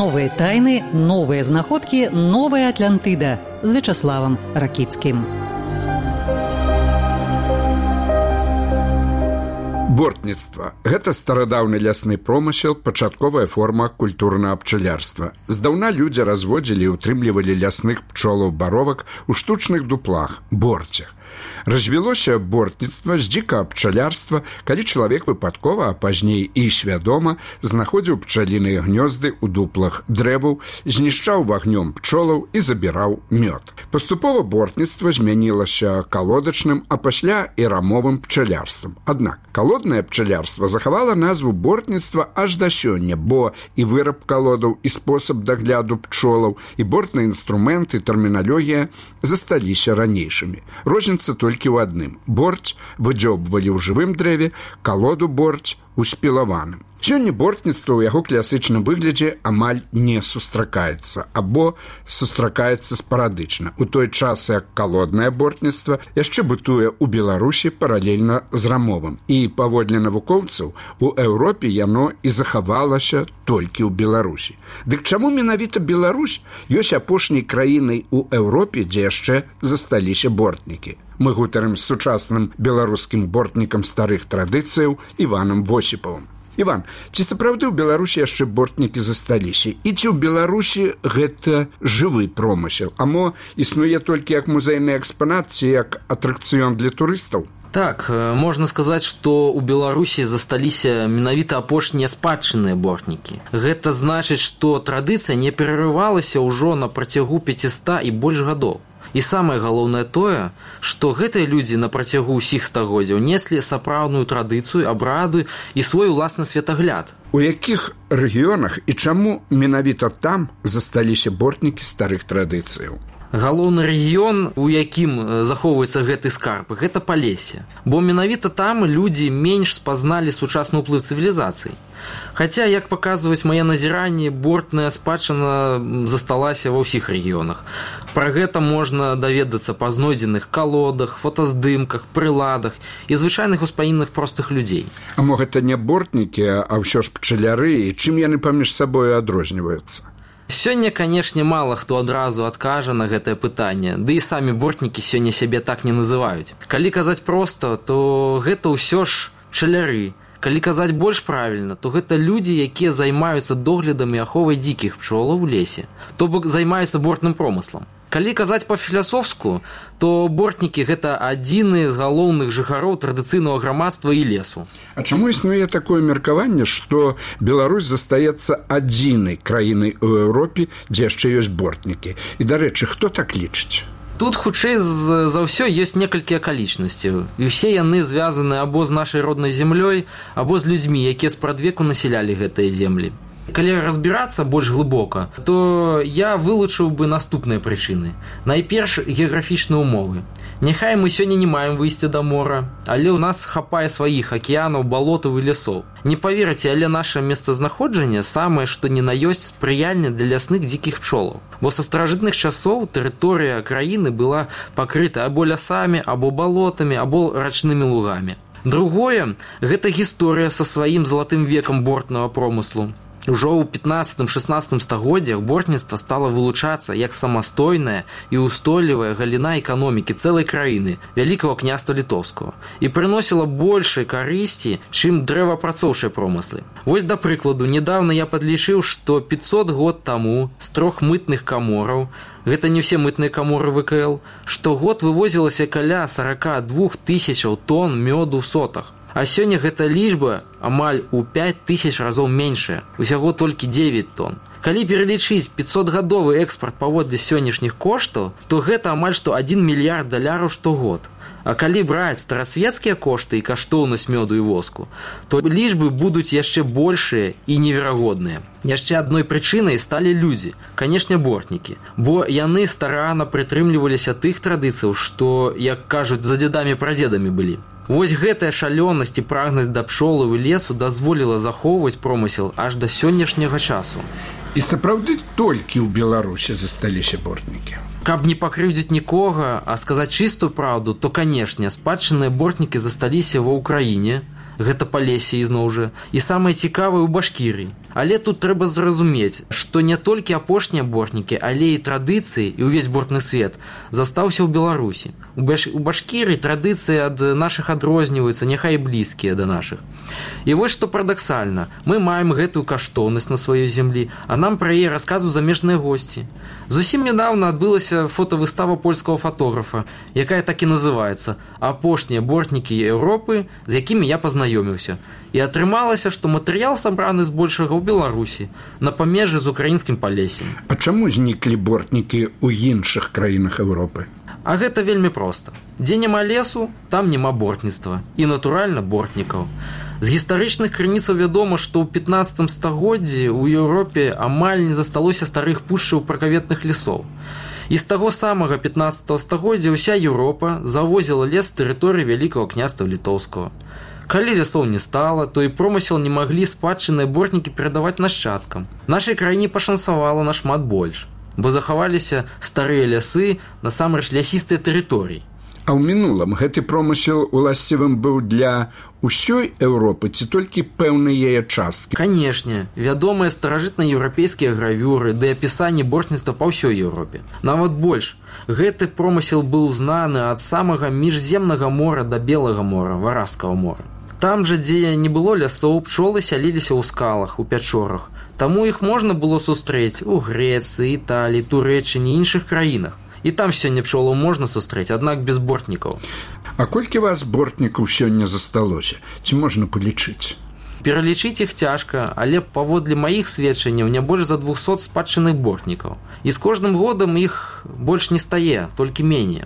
Новые тайны, новые знаходкі, новая Атлантыда з Вячаславам Ракіцкім. Бортніцтва – гэта старадаўны лясны промысел, пачатковая форма культурнага пчалярства. Здаўна людзі разводзілі і ўтрымлівалі лясных пчолаў-баровак у штучных дуплах – борцях. Развілося бортніцтва з дзікага пчалярства, калі чалавек выпадкова, а пазней і свядома, знаходзіў пчаліныя гнёзды ў дуплах дрэваў, знішчаў вагнём пчолаў і забіраў мёд. Паступова бортніцтва змянілася калодачным, а пасля і рамовым пчалярствам. Аднак калоднае пчалярства захавала назву бортніцтва аж да сёння, бо і выраб калодаў, і спосаб дагляду пчолаў, і бортныя інструменты, тэрміналогія засталіся ранейшымі. Розніца толькі ў адным. Борць выдзёбвалі ў жывым дрэве, калоду борць у спілаваным. Сёння бортніцтва ў яго класічным выглядзе амаль не сустракаецца, або сустракаецца спарадычна. У той час, як калоднае бортніцтва яшчэ бытуе ў Беларусі паралельна з рамовым. І, паводле навукоўцаў, у Еўропе яно і захавалася толькі ў Беларусі. Дык чаму менавіта Беларусь ёсць апошняй краінай у Еўропе, дзе яшчэ засталіся бортнікі? Мы гутарым з сучасным беларускім бортнікам старых традыцыяў Іванам Восіпавым. Іван, ці сапраўды ў Беларусі яшчэ бортнікі засталіся? І ці ў Беларусі гэта жывы промысел? Амо існуе толькі як музейны экспанат ці як атракцыён для турыстаў? Так, можна сказаць, што ў Беларусі засталіся менавіта апошнія спадчынныя бортнікі. Гэта значыць, што традыцыя не перарывалася ўжо на працягу 500 і больш гадоў. І самае галоўнае тое, што гэтыя людзі на працягу ўсіх стагоддзяў неслі сапраўдную традыцыю, абрады і свой уласны светагляд. У якіх рэгіёнах і чаму менавіта там засталіся бортнікі старых традыцыяў? Галоўны рэгіён, у якім захоўваецца гэты скарб, гэта Палессе. Бо менавіта там людзі менш спазналі сучасны ўплыў цывілізацыі. Хаця, як паказваюць мае назіранні, бортная спадчына засталася ва ўсіх рэгіёнах. Пра гэта можна даведацца па знойдзеных калодах, фотаздымках, прыладах і звычайных успамінах простых людзей. А мо гэта не бортнікі, а ўсё ж пчаляры, і чым яны паміж сабою адрозніваюцца? Сёння, канешне, мала хто адразу адкажа на гэтае пытанне, ды і самі бортнікі сёння сябе так не называюць. Калі казаць проста, то гэта ўсё ж пчаляры. Калі казаць больш правільна, то гэта людзі, якія займаюцца доглядам і аховай дзікіх пчолаў у лесе, то бок займаюцца бортным промыслам. Калі казаць па-філасофску, то бортнікі – гэта адзіны з галоўных жыхароў традыцыйнага грамадства і лесу. А чаму існуе такое меркаванне, што Беларусь застаецца адзінай краінай у Еўропе, дзе яшчэ ёсць бортнікі? І, дарэчы, хто так лічыць? Тут, хутчэй за ўсё, ёсць некалькі акалічнасцяў. І ўсе яны звязаны або з нашай роднай зямлёй, або з людзьмі, якія спрадвеку насялялі гэтыя землі. Калі разбірацца больш глыбока, то я вылучыў бы наступныя прычыны. Найперш, геаграфічныя ўмовы. Няхай мы сёння не маем выйсця да мора, але ў нас хапае сваіх акіянаў, балотаў і лясоў. Не паверыце, але наша месцазнаходжанне самае, што ні на ёсць спрыяльне для лясных дзікіх пчолаў. Бо са старажытных часоў тэрыторыя краіны была пакрыта або лясамі, або балотамі, або рачнымі лугамі. Другое – гэта гісторыя са сваім залатым векам бортнага промыслу. Ужо ў 15-16 стагоддзях бортніцтва стала вылучацца як самастойная і ўстойлівая галіна эканомікі цэлай краіны, Вялікага княства Літоўскага, і прыносіла большай карысці, чым дрэваапрацоўчыя промыслы. Вось, да прыкладу, недавно я падлічыў, што 500 год таму з 3 мытных камораў, гэта не ўсе мытныя каморы ВКЛ, штогод вывозілася каля 42 тысячаў тонн мёду ў сотах. А сёння гэта лічба амаль у 5000 разоў меншая, усяго толькі 9 тонн. Калі пералічыць 500-гадовы экспарт паводле сённяшніх коштаў, то гэта амаль што 1 мільярд даляраў штогод. А калі браць старасвецкія кошты і каштоўнасць мёду і воску, то лічбы будуць яшчэ большыя і неверагодныя. Яшчэ адной прычынай сталі людзі, канешне, бортнікі, бо яны старанна прытрымліваліся тых традыцыяў, што, як кажуць, за дзедамі-прадзедамі былі. Вось гэтая шалёнасць і прагнасць да пчолаў і лесу дазволіла захоўваць промысел аж да сённяшняга часу. І сапраўды толькі ў Беларусі засталіся бортнікі? Каб не пакрыўдзіць нікога, а сказаць чыстую праўду, то, канешне, спадчынныя бортнікі засталіся ва Ўкраіне, гэта Палесе ізноў жа, і самае цікавае ў Башкірыі. Але тут трэба зразумець, што не толькі апошнія бортнікі, але і традыцыі, і ўвесь бортны свет застаўся ў Беларусі. У Башкірыі традыцыі ад нашых адрозніваюцца, няхай і блізкія да нашых. І вось што парадаксальна, мы маем гэтую каштоўнасць на сваёй зямлі, а нам пра яе расказваюць замежныя госці. Зусім нядаўна адбылася фотавыстава польскага фотографа, якая так і называецца «Апошнія бортнікі Еўропы, з якімі я пазнаёміўся». І атрымалася, што матэрыял сабраны збольшага ў Беларусі, на памежжы з украінскім Палесем. А чаму зніклі бортнікі ў іншых краінах Еўропы? А гэта вельмі проста. Дзе няма лесу, там няма бортніцтва. І, натуральна, бортнікаў. З гістарычных крыніцаў вядома, што ў 15 стагоддзі ў Еўропе амаль не засталося старых пушчаў пракаветных лесоў. І з таго самага 15 стагоддзя ўся Еўропа завозіла лес з тэрыторыі Вялікага княства Літоўскага. Калі лясоў не стала, то і промысел не маглі спадчынныя бортнікі перадаваць нашчадкам. Нашай краіне пашанцавала нашмат больш, бо захаваліся старыя лясы, насамрэч лясістыя тэрыторыі. А ў мінулым гэты промысел уласцівым быў для ўсёй Еўропы ці толькі пэўнай яе часткі? Канешне, вядомыя старажытнаеўрапейскія гравюры ды апісанні бортніцтва па ўсёй Еўропе. Нават больш, гэты промысел быў знаны ад самага міжземнага мора да Белага мора, Варажскага мора. Там жа, дзе не было лясоў, пчолы сяліліся ў скалах, у пячорах. Таму іх можна было сустрэць у Грэцыі, Італіі, Турэччыне і іншых краінах. І там сёння пчолаў можна сустрэць, аднак без бортнікаў. А колькі вас бортнікаў сёння засталося? Ці можна палічыць? Пералічыць іх цяжка, але паводле маіх сведчанняў не больш за 200 спадчынных бортнікаў. І з кожным годам іх больш не стае, толькі меней.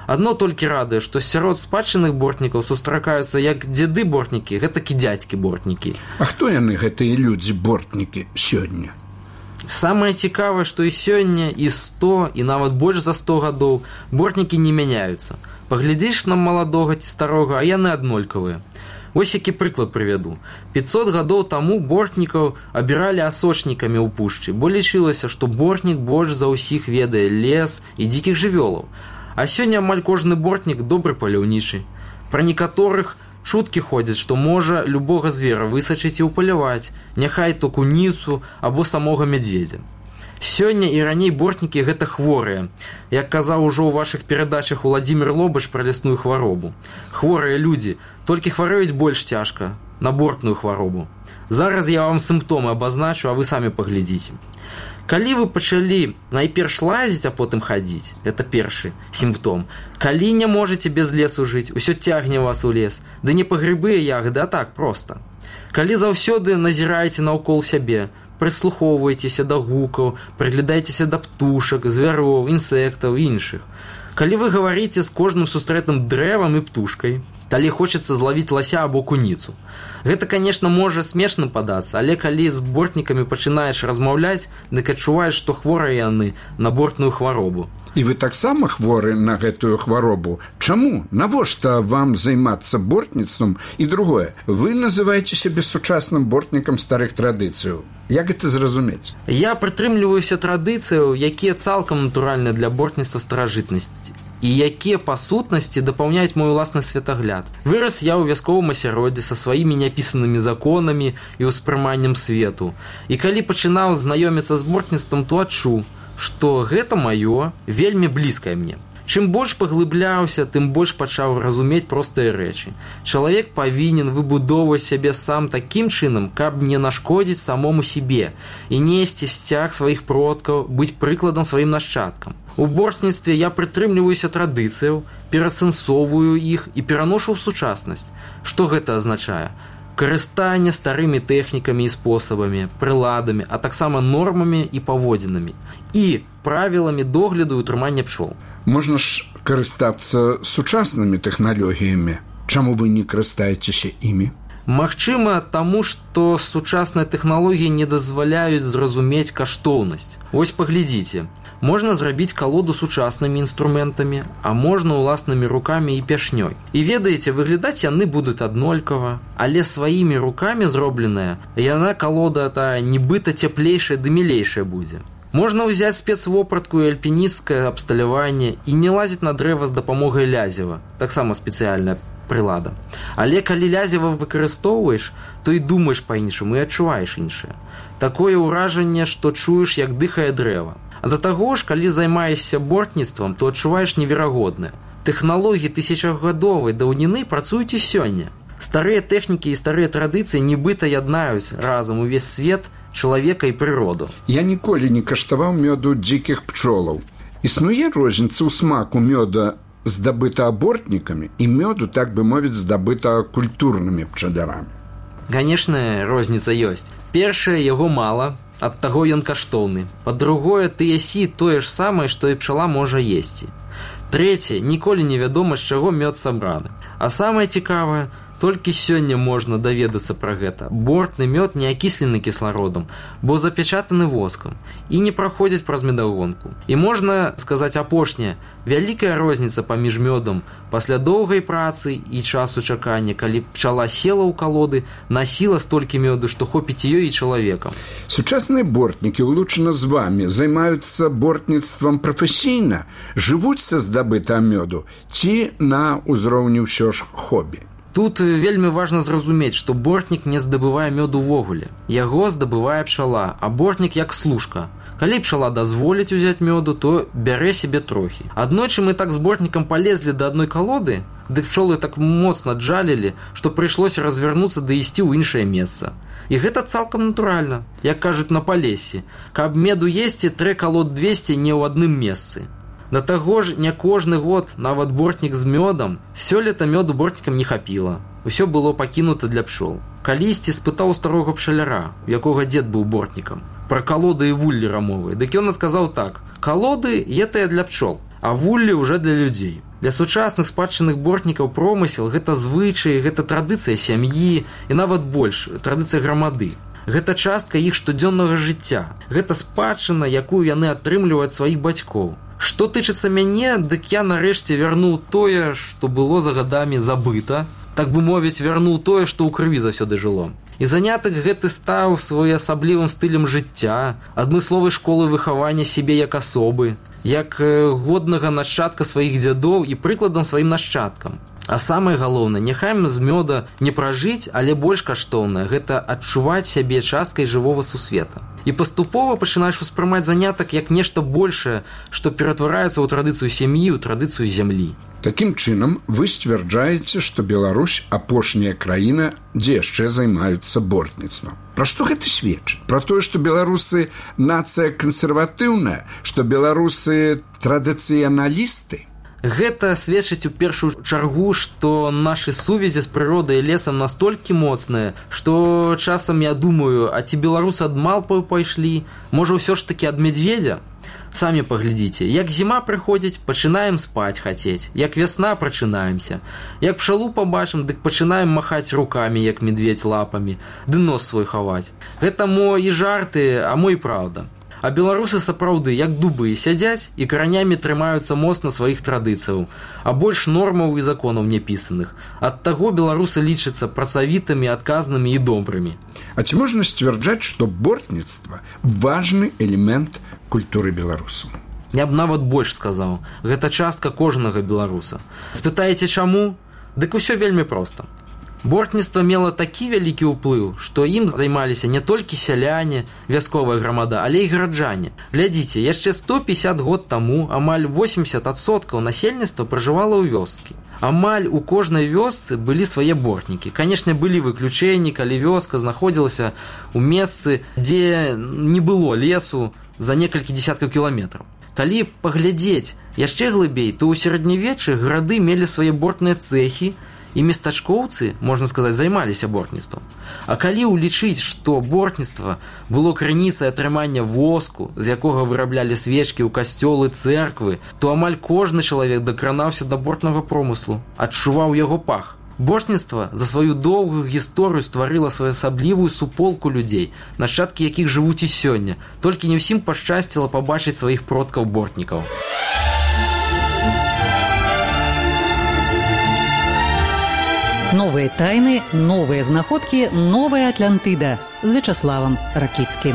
Адно толькі радуе, што сярод спадчынных бортнікаў сустракаюцца як дзеды-бортнікі, гэтак і дзядзькі-бортнікі. А хто яны, гэтыя людзі-бортнікі, сёння? Самае цікавае, што і сёння, і 100, і нават больш за 100 гадоў бортнікі не мяняюцца. Паглядзіш на маладога ці старога, а яны аднолькавыя. Вось які прыклад прывяду. 500 гадоў таму бортнікаў абіралі асочнікамі ў пушчы, бо лічылася, што бортнік больш за ўсіх ведае лес і дзікіх жывёлаў. А сёння амаль кожны бортнік добры паляўнічы. Пра некаторых чуткі ходзяць, што можа любога звера высачыць і ўпаляваць, няхай то куніцу або самога мядзведзя. Сёння і раней бортнікі гэта хворыя. Як казаў ужо ў вашых перадачах Уладзімір Лобач пра лясную хваробу. Хворыя людзі, толькі хварэюць больш цяжка, на бортную хваробу. Зараз я вам сімптомы абазначу, а вы самі паглядзіце. Калі вы пачалі найперш лазіць, а потым хадзіць, гэта першы сімптом. Калі не можаце без лесу жыць, усё цягне вас у лес, ды не па грыбы і ягады, а так проста. Калі заўсёды назіраеце наўкол сябе, прыслухоўваецеся да гукаў, прыглядаецеся да птушак, звяроў, інсектаў і іншых. Калі вы гаварыце з кожным сустрэтым дрэвам і птушкай, калі хочацца злавіць лася або куніцу. Гэта, конечно, можа смешным падацца, але калі з бортнікамі пачынаеш размаўляць, дык адчуваеш, што хворыя яны на бортную хваробу. І вы таксама хворы на гэтую хваробу? Чаму? Навошта вам займацца бортніцтвам? І другое, вы называеце сябе сучасным бортнікам старых традыцыяў. Як гэта зразумець? Я прытрымліваюся традыцыяў, якія цалкам натуральныя для бортніцтва старажытнасці і якія па сутнасці дапаўняюць мой уласны светагляд. Вырас я ў вясковым асяроддзі са сваімі няпісанымі законамі і ўспрыманнем свету. І калі пачынаў знаёміцца з бортніцтвам, то адчуў, што гэта маё, вельмі блізкае мне. Чым больш паглыбляўся, тым больш пачаў разумець простыя рэчы. Чалавек павінен выбудоўваць сябе сам такім чынам, каб не нашкодзіць самому сябе і несці сцяг сваіх продкаў, быць прыкладам сваім нашчадкам. У бортніцтве я прытрымліваюся традыцыяў, перасэнсоўваю іх і пераношу ў сучаснасць. Што гэта азначае? Карыстанне старымі тэхнікамі і спосабамі, прыладамі, а таксама нормамі і паводзінамі. І правіламі догляду і утрымання пчол. Можна ж карыстацца сучаснымі тэхналогіямі. Чаму вы не карыстаецеся імі? Магчыма, таму, што сучасныя тэхналогіі не дазваляюць зразумець каштоўнасць. Вось паглядзіце. Можна зрабіць калоду сучаснымі інструментамі, а можна ўласнымі рукамі і пяшнёй. І ведаеце, выглядаць яны будуць аднолькава, але сваімі рукамі зробленая, яна калода тая нібыта цяплейшая ды мілейшая будзе. Можна ўзяць спецвопратку і альпінісцкае абсталяванне і не лазіць на дрэва з дапамогай лязева, таксама спецыяльна. прылада. Але калі лязіва выкарыстоўваеш, то і думаеш па-іншаму, і адчуваеш іншае. Такое ўражанне, што чуеш, як дыхае дрэва. А да таго ж, калі займаешся бортніцтвам, то адчуваеш неверагоднае. Тэхналогіі тысячагадовай даўніны працуюць і сёння. Старыя тэхнікі і старыя традыцыі нібыта яднаюць разам увесь свет, чалавека і прыроду. Я ніколі не каштаваў мёду дзікіх пчолаў. Існуе розніца ў смаку мёда, здабыта бортнікамі, і мёду, так бы мовіць, здабыта культурнымі пчалярамі. Канешне, розніца ёсць. Першае, яго мала, ад таго ён каштоўны. Па-другое, ты ясі тое ж самае, што і пчала можа есці. Трэцяе, ніколі невядома, з чаго мёд сабраны. А самае цікавае, толькі сёння можна даведацца пра гэта. Бортны мёд не акіслены кіслародам, бо запячатаны воскам і не праходзіць праз медагонку. І можна сказаць апошняе, вялікая розніца паміж мёдам пасля доўгай працы і часу чакання, калі пчала села ў калоды, насіла столькі мёду, што хопіць ёй і чалавекам. Сучасныя бортнікі, улучана з вамі, займаюцца бортніцтвам прафесійна, жывуць са здабытага мёду ці на ўзроўні ўсё ж хобі? Тут вельмі важна зразумець, што бортнік не здабывае мёд увогуле. Яго здабывае пчала, а бортнік як служка. Калі пчала дазволіць узяць мёду, то бярэ себе трохі. Аднойчы мы так з бортнікам палезлі да адной калоды, дык пчолы так моцна джалілі, што прыйшлося развярнуцца ды ісці ў іншае месца. І гэта цалкам натуральна, як кажуць на Палесе. Каб меду есці, трэ калод 200 не ў адным месцы. Да таго ж, не кожны год, нават бортнік з мёдам, сёлета мёду бортнікам не хапіла. Усё было пакінута для пчол. Калісьці спытаў старога пчаляра, у якога дзед быў бортнікам, пра калоды і вуллі рамовыя. Дык ён адказаў так: калоды етыя для пчол, а вуллі ўжо для людзей. Для сучасных спадчынных бортнікаў промысел – гэта звычаі, гэта традыцыя сям'і і нават больш, традыцыя грамады. Гэта частка іх штодзённага жыцця. Гэта спадчына, якую яны атрымліваюць сваіх бацькоў. Што тычыцца мяне, дык я нарэшце вярнуў тое, што было за гадамі забыта, так бы мовіць, вярнуў тое, што ў крыві заўсёды жыло. І занятак гэты стаў своеасаблівым стылем жыцця, адмысловай школы выхавання сябе як асобы, як годнага нашчадка сваіх дзядоў і прыкладам сваім нашчадкам. А самае галоўнае, няхай з мёда не пражыць, але больш каштоўнае – гэта адчуваць сябе часткай жывога сусвета. І паступова пачынаеш успрымаць занятак як нешта большае, што ператвараецца ў традыцыю сям'і, у традыцыю зямлі. Такім чынам, вы сцвярджаеце, што Беларусь – апошняя краіна, дзе яшчэ займаюцца бортніцтвам. Пра што гэта сведчыць? Пра тое, што беларусы – нацыя кансерватыўная, што беларусы – традыцыяналісты? Гэта сведчыць у першую чаргу, што нашы сувязі з прыродай і лесам настолькі моцныя, што часам я думаю, а ці беларусы ад малпаў пайшлі? Можа, ўсё ж такі ад медведзя? Самі паглядзіце, як зіма прыходзіць, пачынаем спаць хацець, як вясна прачынаемся. Як пчалу пабачым, дык пачынаем махаць рукамі, як медведь лапамі, ды нос свой хаваць. Гэта мо і жарты, а мо і праўда. А беларусы сапраўды, як дубы, сядзяць і каранямі трымаюцца моцна сваіх традыцыяў, а больш нормаў і законаў няпісаных. Ад таго беларусы лічацца працавітымі, адказнымі і добрымі. А ці можна сцвярджаць, што бортніцтва важны элемент культуры беларусаў? Я б нават больш сказаў, гэта частка кожнага беларуса. Спытаеце, чаму? Дык усё вельмі проста. Бортніцтва мела такі вялікі ўплыў, што ім займаліся не толькі сяляне, вясковая грамада, але і гараджане. Глядзіце, яшчэ 150 год таму амаль 80% насельніцтва пражывала ў вёскі. Амаль у кожнай вёсцы былі свае бортнікі. Канешне, былі выключэнні, калі вёска знаходзілася ў месцы, дзе не было лесу за некалькі дзесяткаў кіламетраў. Калі паглядзець яшчэ глыбей, то ў сярэднявеччы гарады мелі свае бортныя цэхі, і местачкоўцы, можна сказаць, займаліся бортніцтвам. А калі ўлічыць, што бортніцтва было крыніцай атрымання воску, з якога выраблялі свечкі ў касцёлы, цэрквы, то амаль кожны чалавек дакранаўся да бортнага промыслу, адчуваў яго пах. Бортніцтва за сваю доўгую гісторыю стварыла своеасаблівую суполку людзей, нашчадкі якіх жывуць і сёння. Толькі не ўсім пашчасціла пабачыць сваіх продкаў-бортнікаў. Новыя тайны, новыя знаходкі, новая Атлантыда з Вячаславам Ракіцкім.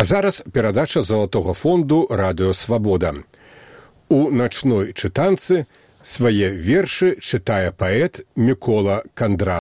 А зараз перадача залатога фонду «Радыё Свабода». У начной чытанцы свае вершы чытае паэт Мікола Кандратаў.